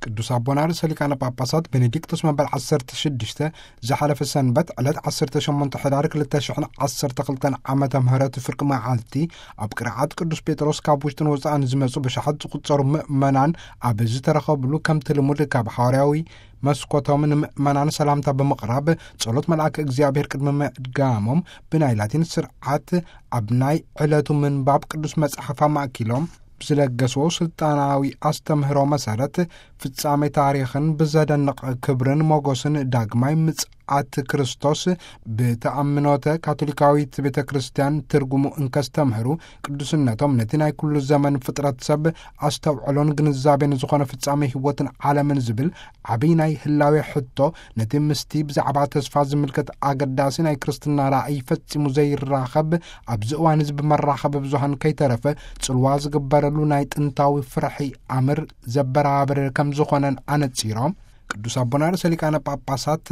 ቅዱስ ኣቦና ርእሰ ሊቃነ ጳጳሳት ቤኔዲክቶስ መበል ዓሰርተ ሽዱሽተ ዝሓለፈ ሰንበት ዕለት ዓሰርተ ሸሞንተ ሕዳር ክልተ ሽሕን ዓሰርተ ክልተን ዓመተ ምህረት ፍርቂ መዓልቲ ኣብ ቅርዓት ቅዱስ ጴጥሮስ ካብ ውሽጥን ወፃእን ዝመፁ ብሽሓት ዝቁፀሩ ምእመናን ኣብ ዝተረኸብሉ፣ ከምቲ ልሙድ ካብ ሓዋርያዊ መስኮቶም ንምእመናን ሰላምታ ብምቕራብ ጸሎት መልኣክ እግዚኣብሔር ቅድሚ ምድጋሞም ብናይ ላቲን ስርዓት ኣብ ናይ ዕለቱ ምንባብ ቅዱስ መጽሓፍ ኣማእኪሎም ብዝለገስዎ ስልጣናዊ ኣስተምህሮ መሰረት፣ ፍጻሜ ታሪኽን ብዘደንቕ ክብርን ሞገስን ዳግማይ ምጽኣት ክርስቶስ ብተኣምኖተ ካቶሊካዊት ቤተ ክርስቲያን ትርጉሙ እንከስተምህሩ፣ ቅዱስነቶም ነቲ ናይ ኩሉ ዘመን ፍጥረት ሰብ ኣስተውዕሎን ግንዛቤን ዝኾነ ፍጻሜ ህይወትን ዓለምን ዝብል ዓብይ ናይ ህላዌ ሕቶ፣ ነቲ ምስቲ ብዛዕባ ተስፋ ዝምልከት ኣገዳሲ ናይ ክርስትና ራእይ ፈጺሙ ዘይራኸብ፣ ኣብዚ እዋን እዚ ብመራኸቢ ብዙሃን ከይተረፈ ጽልዋ ዝግበረሉ ናይ ጥንታዊ ፍርሒ ኣምር ዘበራብር ከም ዝኾነን ኣነጺሮም። ቅዱስ ኣቦና ርእሰ ሊቃነ ጳጳሳት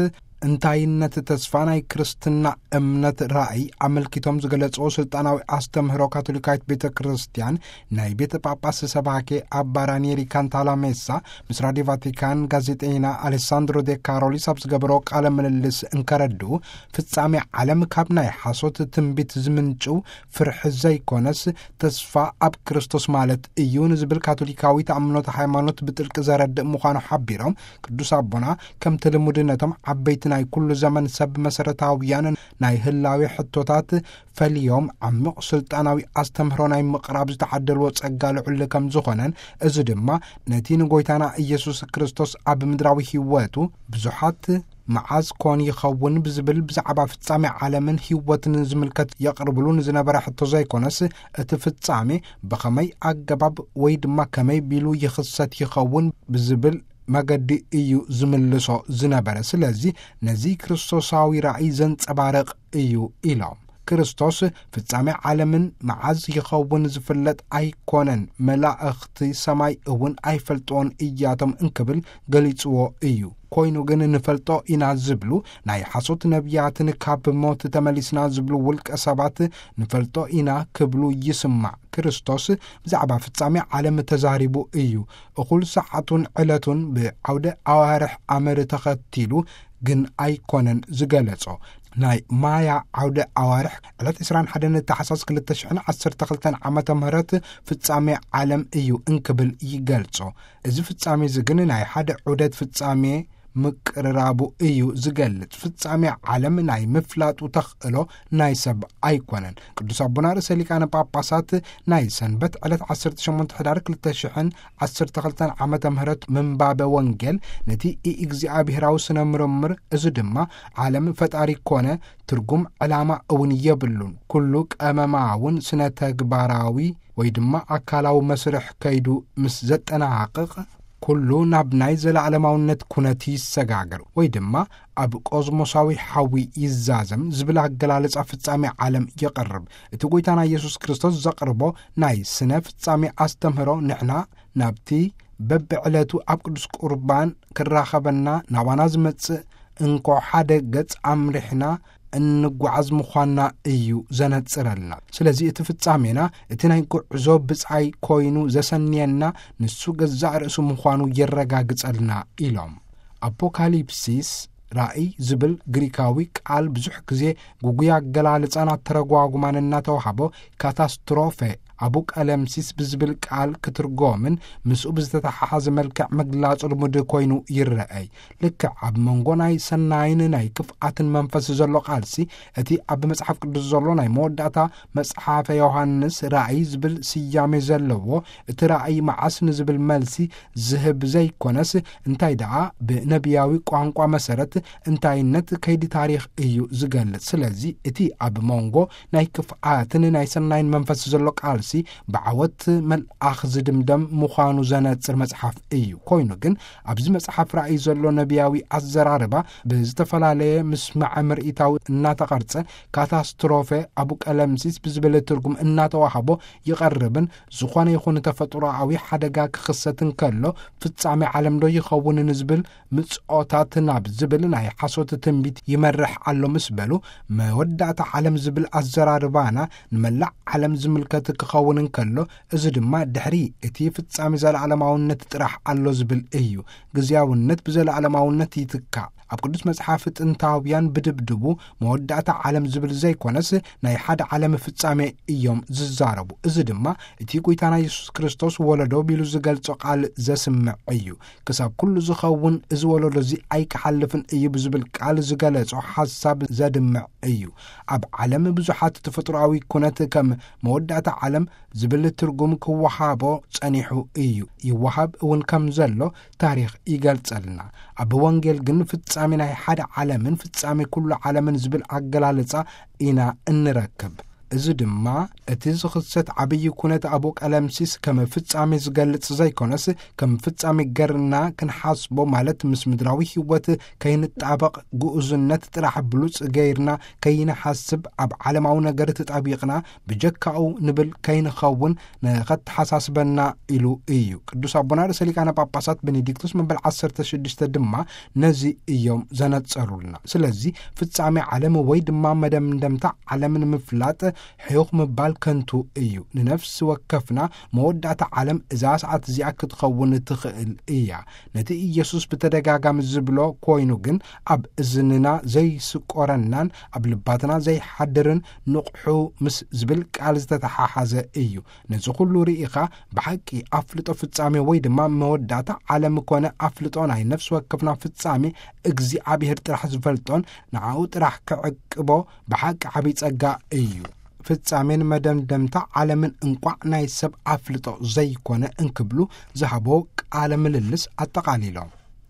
እንታይነት ተስፋ ናይ ክርስትና እምነት ራእይ ኣመልኪቶም ዝገለጽዎ ስልጣናዊ ኣስተምህሮ ካቶሊካዊት ቤተ ክርስቲያን፣ ናይ ቤተ ጳጳስ ሰባኬ ኣባ ራኒየሪ ካንታላሜሳ ምስ ራዲዮ ቫቲካን ጋዜጠኛ ኣሌሳንድሮ ዴ ካሮሊስ ኣብ ዝገበሮ ቃለ ምልልስ እንከረድኡ፣ ፍጻሜ ዓለም ካብ ናይ ሓሶት ትንቢት ዝምንጭው ፍርሒ ዘይኮነስ፣ ተስፋ ኣብ ክርስቶስ ማለት እዩ ንዝብል ካቶሊካዊ ተኣምኖተ ሃይማኖት ብጥልቂ ዘረድእ ምዃኑ ሓቢሮም፣ ቅዱስ ኣቦና ከምቲ ልሙድ ነቶም ዓበይቲ ናይ ኩሉ ዘመን ሰብ መሰረታውያን ናይ ህላዌ ሕቶታት ፈልዮም፣ ዓሚቕ ስልጣናዊ ኣስተምህሮ ናይ ምቕራብ ዝተዓደልዎ ጸጋ ልዑል ከም ዝኾነን፣ እዚ ድማ ነቲ ንጎይታና ኢየሱስ ክርስቶስ ኣብ ምድራዊ ህይወቱ ብዙሓት መዓዝ ኮን ይኸውን ብዝብል ብዛዕባ ፍጻሜ ዓለምን ህይወትን ዝምልከት የቕርብሉ ንዝነበረ ሕቶ ዘይኮነስ፣ እቲ ፍጻሜ ብኸመይ ኣገባብ ወይ ድማ ከመይ ቢሉ ይኽሰት ይኸውን ብዝብል መገዲ እዩ ዝምልሶ ዝነበረ። ስለዚ ነዚ ክርስቶሳዊ ራእይ ዘንጸባርቕ እዩ ኢሎም። ክርስቶስ ፍጻሜ ዓለምን መዓዝ ይኸውን ዝፍለጥ ኣይኮነን፣ መላእኽቲ ሰማይ እውን ኣይፈልጥዎን እያቶም እንክብል ገሊጽዎ እዩ። ኮይኑ ግን ንፈልጦ ኢና ዝብሉ ናይ ሓሶት ነቢያትን ካብ ሞት ተመሊስና ዝብሉ ውልቀ ሰባት ንፈልጦ ኢና ክብሉ ይስማዕ። ክርስቶስ ብዛዕባ ፍጻሜ ዓለም ተዛሪቡ እዩ። እኹል ሰዓቱን ዕለቱን ብዓውደ ኣዋርሕ ኣመር ተኸቲሉ ግን ኣይኮነን ዝገለጾ። ናይ ማያ ዓውደ ኣዋርሕ ዕለት ዕስራን ሓደን ታሕሳስ ክልተ ሽሕን ዓሰርተ ክልተን ዓመተ ምህረት ፍጻሜ ዓለም እዩ እንክብል ይገልጾ። እዚ ፍጻሜ እዚ ግን ናይ ሓደ ዑደት ፍጻሜ ምቅርራቡ እዩ ዝገልጽ። ፍጻሜ ዓለም ናይ ምፍላጡ ተኽእሎ ናይ ሰብ ኣይኮነን። ቅዱስ ኣቦና ርእሰ ሊቃነ ጳጳሳት ናይ ሰንበት ዕለት ዓሰርተ ሸሞንተ ሕዳር ክልተ ሽሕን ዓሰርተ ክልተን ዓመተ ምህረት ምንባበ ወንጌል ነቲ ኢእግዚኣብሔራዊ ስነ ምርምር፣ እዚ ድማ ዓለም ፈጣሪ ኮነ ትርጉም ዕላማ እውን የብሉን፣ ኩሉ ቀመማውን ስነ ተግባራዊ ወይ ድማ ኣካላዊ መስርሕ ከይዱ ምስ ዘጠናቕቕ፣ ኩሉ ናብ ናይ ዘለዓለማውነት ኩነት ይሰጋገር ወይ ድማ ኣብ ቆዝሞሳዊ ሓዊ ይዛዘም ዝብል ኣገላልጻ ፍጻሜ ዓለም የቐርብ። እቲ ጎይታና ኢየሱስ ክርስቶስ ዘቕርቦ ናይ ስነ ፍጻሜ ኣስተምህሮ ንሕና ናብቲ በብዕለቱ ኣብ ቅዱስ ቁርባን ክራኸበና ናባና ዝመጽእ እንኮ ሓደ ገጽ ኣምሪሕና እንጓዓዝ ምዃንና እዩ ዘነጽረልና። ስለዚ እቲ ፍጻሜና እቲ ናይ ጉዕዞ ብጻይ ኮይኑ ዘሰንየና ንሱ ገዛእ ርእሱ ምዃኑ የረጋግጸልና ኢሎም። ኣፖካሊፕሲስ ራእይ ዝብል ግሪካዊ ቃል ብዙሕ ግዜ ግጉይ ኣገላልጻን ኣተረጓጉማን እናተዋህቦ ካታስትሮፈ ኣቡ ቀለምሲስ ብዝብል ቃል ክትርጎምን ምስኡ ብዝተተሓሓዘ መልክዕ ምግላጹ ልሙድ ኮይኑ ይረኣይ። ልክዕ ኣብ መንጎ ናይ ሰናይን ናይ ክፍኣትን መንፈስ ዘሎ ቃልሲ፣ እቲ ኣብ መጽሓፍ ቅዱስ ዘሎ ናይ መወዳእታ መጽሓፈ ዮሃንስ ራእይ ዝብል ስያሜ ዘለዎ፣ እቲ ራእይ መዓስ ንዝብል መልሲ ዝህብ ዘይኮነስ፣ እንታይ ደኣ ብነቢያዊ ቋንቋ መሰረት እንታይነት ከይዲ ታሪኽ እዩ ዝገልጽ። ስለዚ እቲ ኣብ መንጎ ናይ ክፍኣትን ናይ ሰናይን መንፈስ ዘሎ ቃልሲ ብዓወት መልኣኽ ዝድምደም ምዃኑ ዘነጽር መጽሓፍ እዩ። ኮይኑ ግን ኣብዚ መጽሓፍ ራእይ ዘሎ ነቢያዊ ኣዘራርባ ብዝተፈላለየ ምስማዐ ምርኢታዊ እናተቐርጸ፣ ካታስትሮፈ ኣቡ ቀለምሲስ ብዝብል ትርጉም እናተዋህቦ ይቐርብን፣ ዝኾነ ይኹን ተፈጥሮኣዊ ሓደጋ ክኽሰት እንከሎ ፍጻሜ ዓለም ዶ ይኸውን ንዝብል ምጽኦታት ናብ ዝብል ናይ ሓሶት ትንቢት ይመርሕ ኣሎ ምስ በሉ፣ መወዳእታ ዓለም ዝብል ኣዘራርባና ንመላእ ዓለም ዝምልከት ክኸውን ክኸውን እንከሎ፣ እዚ ድማ ድሕሪ እቲ ፍጻሜ ዘለዓለማውነት ጥራሕ ኣሎ ዝብል እዩ። ግዜያውነት ብዘለዓለማውነት ይትካእ። ኣብ ቅዱስ መጽሓፍ ጥንታውያን ብድብድቡ መወዳእታ ዓለም ዝብል ዘይኮነስ፣ ናይ ሓደ ዓለም ፍጻሜ እዮም ዝዛረቡ። እዚ ድማ እቲ ጐይታና የሱስ ክርስቶስ ወለዶ ቢሉ ዝገልጾ ቃል ዘስምዕ እዩ። ክሳብ ኩሉ ዝኸውን እዚ ወለዶ እዚ ኣይክሓልፍን እዩ ብዝብል ቃል ዝገለጾ ሓሳብ ዘድምዕ እዩ። ኣብ ዓለም ብዙሓት ተፈጥሮኣዊ ኩነት ከም መወዳእታ ዓለም ዝብል ትርጉም ክወሃቦ ጸኒሑ እዩ። ይወሃብ እውን ከም ዘሎ ታሪኽ ይገልጸልና። ኣብ ወንጌል ግን ፍጻሜ ናይ ሓደ ዓለምን ፍጻሜ ኩሉ ዓለምን ዝብል ኣገላልጻ ኢና እንረክብ። እዚ ድማ እቲ ዝኽሰት ዓብዪ ኩነት ኣብ ቀለምሲስ ከም ፍጻሜ ዝገልጽ ዘይኮነስ፣ ከም ፍጻሜ ገርና ክንሓስቦ፣ ማለት ምስ ምድራዊ ህይወት ከይንጣበቕ፣ ግኡዝነት ጥራሕ ብሉጽ ገይርና ከይንሓስብ፣ ኣብ ዓለማዊ ነገር ተጣቢቕና ብጀካኡ ንብል ከይንኸውን ንኸተሓሳስበና ኢሉ እዩ። ቅዱስ ኣቦና ርእሰ ሊቃነ ጳጳሳት ቤኔዲክቶስ መበል ዓሰርተ ሽዱሽተ ድማ ነዚ እዮም ዘነጸሩልና። ስለዚ ፍጻሜ ዓለም ወይ ድማ መደምደምታ ዓለም ንምፍላጥ ሕዩኽ ምባል ከንቱ እዩ። ንነፍሲ ወከፍና መወዳእታ ዓለም እዛ ሰዓት እዚኣ ክትኸውን ትኽእል እያ። ነቲ ኢየሱስ ብተደጋጋሚ ዝብሎ ኮይኑ ግን ኣብ እዝንና ዘይስቆረናን ኣብ ልባትና ዘይሓድርን ንቕሑ ምስ ዝብል ቃል ዝተተሓሓዘ እዩ። ነዚ ኩሉ ርኢኻ ብሓቂ ኣፍልጦ ፍጻሜ ወይ ድማ መወዳእታ ዓለም ኮነ ኣፍልጦ ናይ ነፍሲ ወከፍና ፍጻሜ እግዚኣብሔር ጥራሕ ዝፈልጦን ንዓኡ ጥራሕ ክዕቅቦ ብሓቂ ዓብዪ ጸጋ እዩ። ፍጻሜን መደምደምታ ዓለምን እንቋዕ ናይ ሰብ ኣፍልጦ ዘይኮነ እንክብሉ ዝሃቦ ቃለ ምልልስ ኣጠቓሊሎም።